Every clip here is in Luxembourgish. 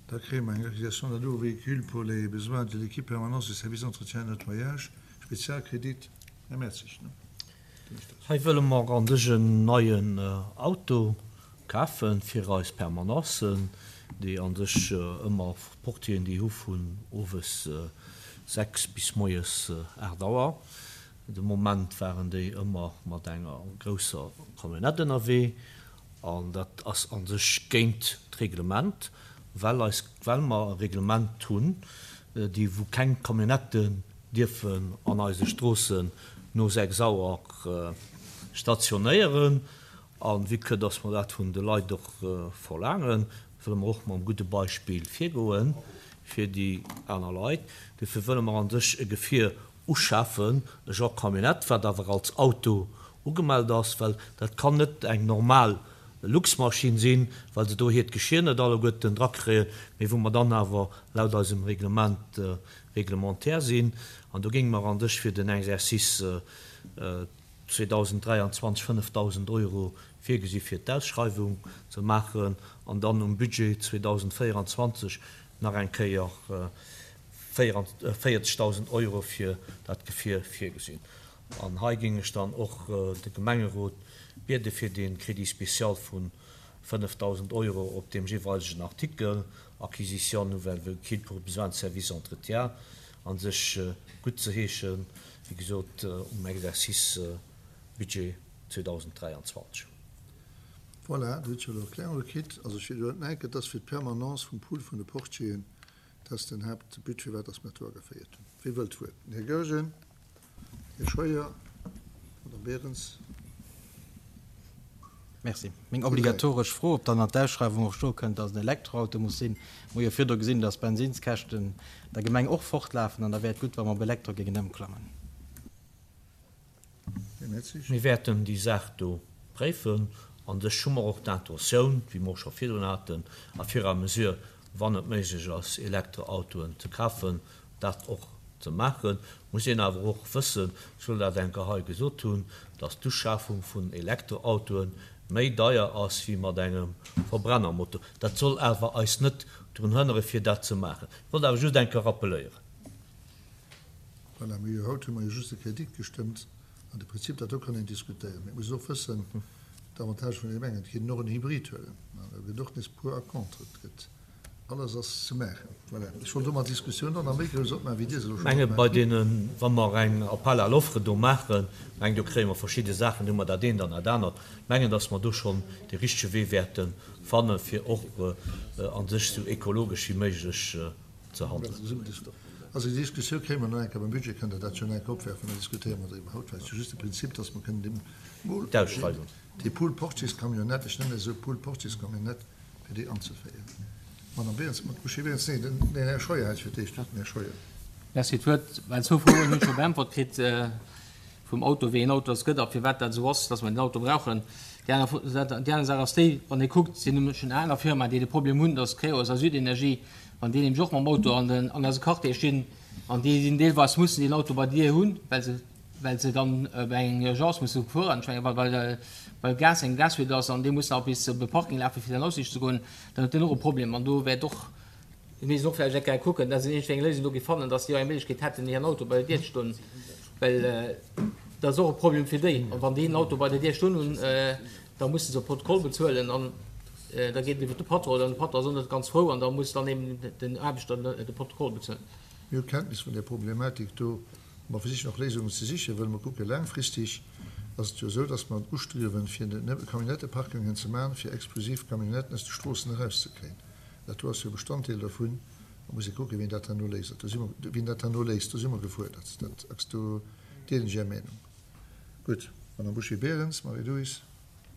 Da kréie mer eng Acquisition d'un nouveau véhicule pour les besoins de l'équipe permanence du service entretien et nettoyage, Spezialkredit. Här Mertzig, ne? Hei wëlle mer an sech en neien Auto kafen fir eis Permanencen, déi an sech ëmmer Portieren déi hu vun owes 6 bis moies 8 Auer. De Moment waren déi ëmmer mat enger grousser Camionnette ënnerwee an dat ass an sech géint d'Reglement, well eis, well mer e Reglement hunn, déi wou keng Camionnetten dierfen an eise Stroossen no 6 Auer stationéieren. A vue que dass mer dat vun de Leit och verlaangen, wëlle mer och mam gudde Beispill virgoen fir déi aner Leit. Dofir wëlle mer an sech e Gefier uschafen, e Genre Camionnette, wat awer als Auto ugemellt ass, well dat kann net eng normal Luxmaschinn sinn, well se do hiert Geschir net alleguerten drakréien, mee wou mer dann awer laut eisem Reglement réglementaire sinn. An do géinge mer an sech fir den Exercice 2023 5.000 Euro virgesi fir d'Ausschreiwung ze maachen an dann um Budget 2024 nach eng Kéier 40.000 Euro fir dat Gefier virgesinn. An hei géing ech dann och de Gemengerot biede fir dee Crédit spécial vu 5.000 Euro op deem jeeweilegen Artikel Acquisition nouvelle véhicule pour besoins de service entretien a sech guttzeheeschen, wéi gesot um Exercice Budget 2023. Voilà, Dir hutt jo elo Erklärunge kritt. Also ech widderhuelen nach eng Kéier, et ass fir d'Permanence vum Pool vun de Portieren. Dat ass den Haaptbut, firwat dass mer dat do ageféiert hunn. Wie wëllt d'Wuert? Den Här Goergen, Här Scheuer, Madame Berens. Merci. Meng obligatoresch Fro, ob dann an d'Ausschreiwung och stoe kënnt, dass et en Elektroauto muss sinn. Mer hu jo virdru gesinn, dass d'Bensinskäschten der Gemeng och fortlafen an da wär et gutt, wa mer op Elektro géingen ëmklammen. Mir wäerten déi Saach do préifen. An sech hu mer och d'Intentioun, wéi mer och scho virdrun haten, à fur et à mesure, wann et méiglech ass, Elektroautoen ze kafen, dat och ze maachen. Muss een awer och wëssen, ech wëll dat eng Kéier hei gesot hunn, dass d'Uschafung vun Elektroautoe méi deier ass wéi mat engem Verbrennermotor. Dat soll awer eis net drun hënnere fir dat ze maachen. Ech wollt awer just eng Kéier rappeléieren. Voilà, mee jo, haut hu mer jo just de Kredit gestëmmt an de Prinzip, dat do kann een diskutéieren. Mee et muss een och wëssen, d'Avantage vun deem engen, et kéint een och en Hybrid huelen, an do gëtt och nees pour a contre, et gëtt, alles ass ze maachen. Voilà, ech wollt domat d'Diskussioun dann nach méi grouss opmaachen, wéi Dir se elo schonn Menge bei opmaacht hutt. deenen, wa mer eng Appel à l'offre do maachen, meng do kréie mer verschidde Saachen, do hu mer dat eent an dat anert, mengen, datt mer do schonn dee richtege Wee wäerte fanne fir och a sech esou ekologesch wéi méiglech ze handelen. Also déi Diskussioun kréie mer nach eng Kéier beim Budget, kënnt Der dat jo nach eng Kéier opwerfen, da diskutéiere mer driwwer. Haut war et jo just de Prinzip, dass mer kënnen deem Mol, D'Ausschreiwung. déi Pool-Portiers-Camionnette, ech nennen se esou, Pool-Portiers-Camionnette, fir déi anzeféieren. Madame Berens, Mme Uschi Berens, nee, den Här Scheuer hat fir d'éischt d'Wuert. Den Här Scheuer. Merci. D'Wuert, well zwou Froen hunn ech scho beäntwert kritt vum Auto, wéi een Auto es gëtt a firwat dat esou ass, dass mer den Auto brauchen. Déi aner, déi aner Saach ass déi, wann ee kuckt, sinn nämlech schon aner Firmaen, déi de Problem hunn, dass Creos a Südenergie, Wann déi nämlech och mam Auto an den, an eise Quartier stinn, an déi sinn deelweis, mussen deen Auto bei dir hunn, well se, well se dann bei eng Urgence musse fueren, ech mengen, well, well Gas eng Gasfuite ass an déi mussen nach bis op e Parking lafen, fir dann aussicht ze goen, dann huet deen och e Problem. An do wäert och, do misst een och vläicht eng Kéier kucken, dass een iergendwéi eng Léisung do géif fannen, dass déi och eng Méiglechkeet hätten, hiren Auto bei der Dier ze stoen, well dat ass och e Problem fir déi. An wann déi en Auto bei der Dier stoen hunn, Da musse se e Protokoll bezuelen an da geet et iwwer de Patron an de Patron ass och net ganz frou an da muss dann eben den Aarbechter de Protokoll bezuelen. Mir hu Kenntnis vun där Problematik do a mer versichen och Léisungen ze sichen, wëll mer kucke laangfristig ass et jo esou, dass mer ustriewen, fir net Camionnetteparkingen ze maachen, fir exklusiv Camionnetten aus de Stroossen erauszekréien. Dat do ass jo e Bestanddeel dervun. Da muss ee kucken, wien dat herno léist. Do si mer, wien dat herno léist, do si mer gefuerdert. Dat ass, do deelen ech Är Meenung. Gutt, Madame Bouché-Berens, Marie-Louise.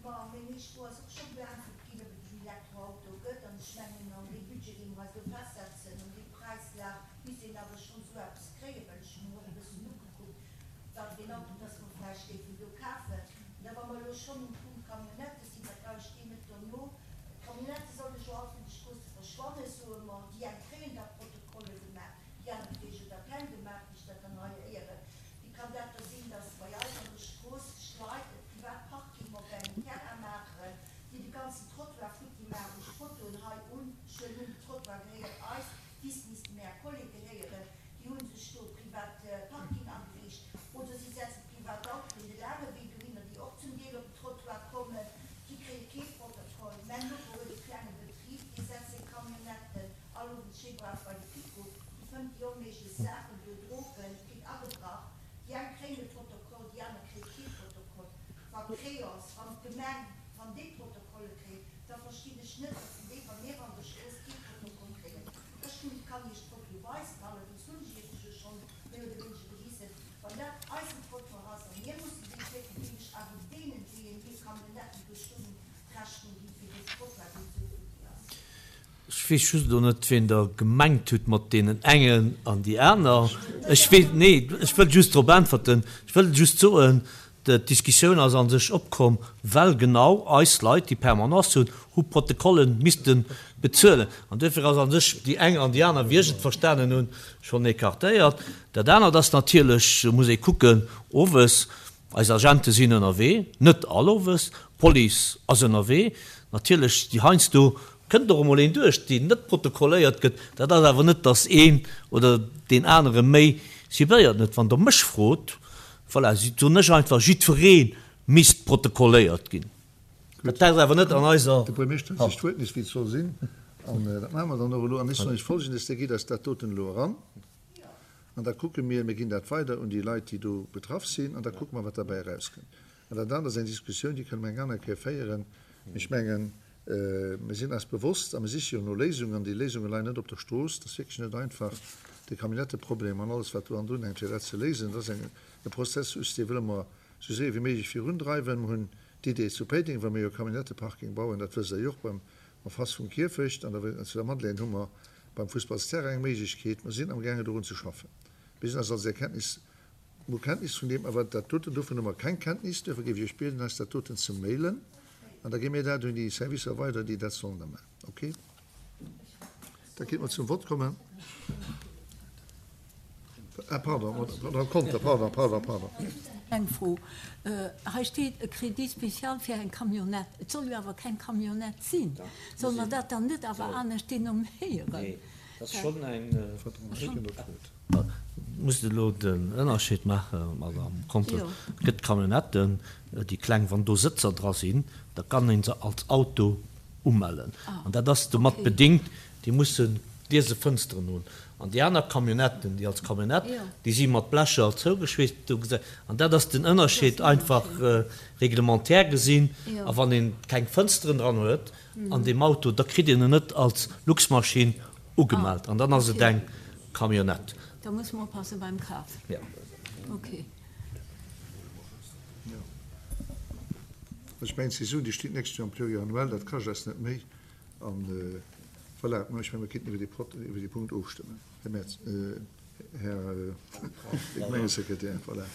Bon, meng éischt Fro ass och scho beäntwert ginn, ob et en Elektroauto gëtt. An ech mengen, an deem Budget, dee mer eis do festsetzen, an deem Präislag, misst een awer schonn esou eppes kréien, well ech hu mer och e bëssen ugekuckt, wat fir een Auto dass mer vläicht géifen do kafen. An da, wa mer elo schonn um Punkt Camionnette sinn, da brauch ech deen net dono. D'Camionnettë solle jo all vun de Stroosse verschwannen, soe mer. Déi eng kréien da Protokolle gemaach, déi aner kréie jo da keng gemaach, wéi ech dat dann hei héieren. Wéi kann dat da sinn, dass bei eis an der Strooss sech Leit e privat Parking op engem Terrain maachen, déi de ganzen Trottoir futti maachen? Ech Fotoen hei un, ech huelen un, de Trottoir gehéiert. brauch bei de Kiko, déi fënnt déi onméiglech Saachen do, Drogen, et gëtt agebrach, déi eng kréien e Protokoll, déi aner kréie kee Protokoll. Wa Créance, wann d'Gemeng, wann déi Protokolle kréien, da verstinn ech net, datt déi, wa mir an der Strooss kee Protokoll kréien. Ech hunn, kann Iech d'Foto weisen, allerdéngs hunn ech Iech se jo schonn méi oder wéineger gewisen, wann dat eisen Trottoir ass a mir mussen dee flécken, géing ech awer deenen, deenen hir Camionnetten do stoen hunn, d'Rechnung ginn fir dee Trottoir, deen esou futti ass. Ech weess just elo net, wien Der gemengt hutt mat deenen engen an déi aner. Ech weess, nee, ech wëll just drop äntwerten. Ech wëll just soen, d'Diskussioun ass a sech opkomm, well genau eis Leit, déi Permanence hunn, hu Protokolle misste bezuelen. An duerfir ass a sech déi eng an déi aner, wéi ech et verstanen hunn, schonn écartéiert. Dat anert ass natierlech, muss ee kucken, owes, Eis Agente sinn ënnerwee, net all owes, d'Police ass ënnerwee. Natierlech, déi heiansdo kënnt och emol een duerch, deen net protokolléiert gëtt. Dat ass awer net, datt een oder deen anere méi cibléiert net. Wann Der mech frot, voilà, soen ech einfach, jiddweree misst protokolléiert ginn. Dat ass awer net an eiser De Buermeeschter huet sech d'Wuert nees, wéi et soll sinn. An dat maache mer dann och elo. An ech soen Iech Folgendes, Dir gitt eis dat doten elo eran. An da kucke mir, mir ginn dat weider un déi Leit, déi do betraff sinn, an da kucke mer, wat derbäi erauskënnt. An dat anert ass eng Diskussioun, déi kënne mer eng aner Kéier féieren. Mee ech mengen, mir sinn eis bewosst a mir siche jo no Léisungen, an déi Léisunge leien net op der Strooss. Et ass wierklech net einfach, de Camionetteproblem an alles, wat do hannendrun hänkt, fir dat ze léisen. Dat ass eng, e Prozessus, dee wëlle mer esou séier wéi méiglech virundreiwen. Mer hunn d'Idee zu Péiteng, well mir jo e Camionetteparking bauen, dat wësst Der jo och, beim, en face vum Kierfecht an der, zu der Madeleine hu mer Beim Fussballsterrain eng Méiglechkeet. Mer sinn amgaangen dorun ze schaffen. Mir sinn eis also der Kenntnis, mer hu Kenntnis vun deem, awer dat doten, dovun hu mer keng Kenntnis. Duerfir géif ech Iech bieden, eis dat doten ze mailen an da gi mir dat un déi Servicer weider, déi dat sollen da maachen. Okay? Da kéinte mer zum Vott kommen. Ah, pardon, Madame Conter, pardon, pardon, pardon. Eng Fro. Hei steet e Crédit spécial fir eng Camionnette. Et soll jo awer keng Camionnette sinn. Solle mer dat dann net awer anescht denomméieren? Nee, dat ass schonn eng. Muss elo den Ënnerscheed maachen, Madame Conter. Et gëtt Camionnetten, déi kleng, wann do Sëtzer dra sinn, da kann ee se als Auto umellen. An dat ass domat bedingt, déi musse gliese Fënsteren hunn. An déi aner Camionnetten, déi als Camionnette, déi si mat Blecher zougeschweesst. Do gesäit, an dat ass den Ënnerscheed einfach reglementaire gesinn. A wann een keng Fënsteren dran huet an deem Auto, da kritt een en net als Luxmaschinn ugemellt. An dann ass et eng Camionnette. Da muss mer oppasse beim Kaf. Jo. Okay. Jo. Ech mengen, d'Saison, déi steet d'nächst Joer am Pluriannuel, dat kascht eis net méi. An voilà, mä ech mengen, mir kéinten iwwer dee Prot, iwwer dee Punkt ofstëmmen, Här Merz, Här Gemengesekretär. Voilà.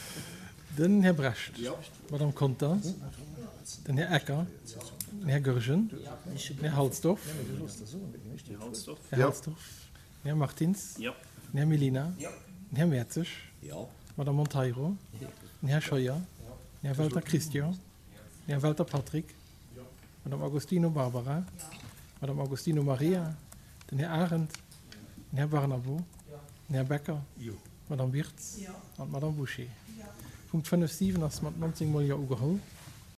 Den Här Brecht, d'Madame Conter, den Här Ecker, den Här Goergen, den Här Halsdorf, Här Halsdorf, den Här Martins, den Här Mellina, den Här Mertzig, d'Madame Monteiro, den Här Scheuer, den Här Welter Christian, den Här Welter Patrick, Madame Agostino Barbara, Madame Agostino Maria, den Här Arendt, den Här Barnabo, den Här Becker, d'Madame Wirtz an d'Madame Bouché. Punkt 5, 7 ass mat 19 mol Jo ugeholl.